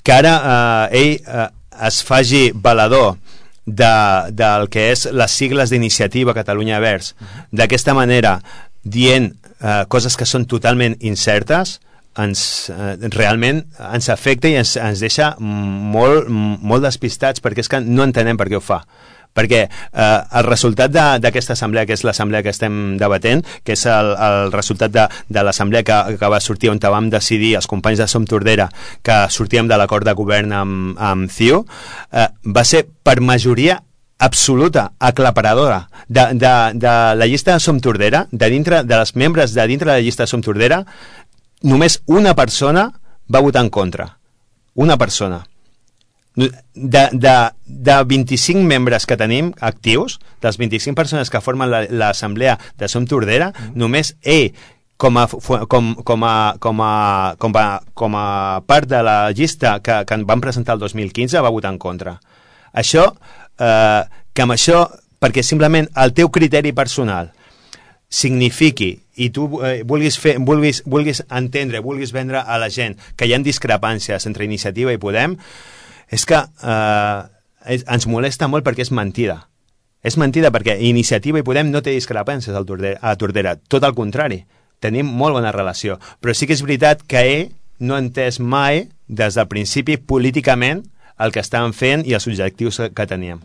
que ara ell es faci valedor del que és les sigles d'Iniciativa Catalunya Verds, d'aquesta manera dient coses que són totalment incertes, realment ens afecta i ens deixa molt despistats, perquè és que no entenem per què ho fa. Perquè el resultat d'aquesta assemblea, que és l'assemblea que estem debatent, que és el resultat de l'assemblea que va sortir, on vam decidir els companys de Som Tordera que sortíem de l'acord de govern amb CiU, va ser per majoria absoluta, aclaparadora de la llista de Som Tordera, dels membres de dintre de la llista de Som Tordera. Només una persona va votar en contra. Una persona. De 25 membres que tenim actius, de les 25 persones que formen l'assemblea de Som Tordera, només ell, com a part de la llista que van presentar el 2015, va votar en contra. Això, que amb això, perquè simplement el teu criteri personal signifiqui i tu vulguis entendre, vulguis vendre a la gent que hi ha discrepàncies entre Iniciativa i Podem, és que ens molesta molt, perquè és mentida. És mentida, perquè Iniciativa i Podem no té discrepàncies a Tordera, tot el contrari, tenim molt bona relació, però sí que és veritat que ell no ha entès mai des del principi políticament el que estàvem fent i els objectius que teníem.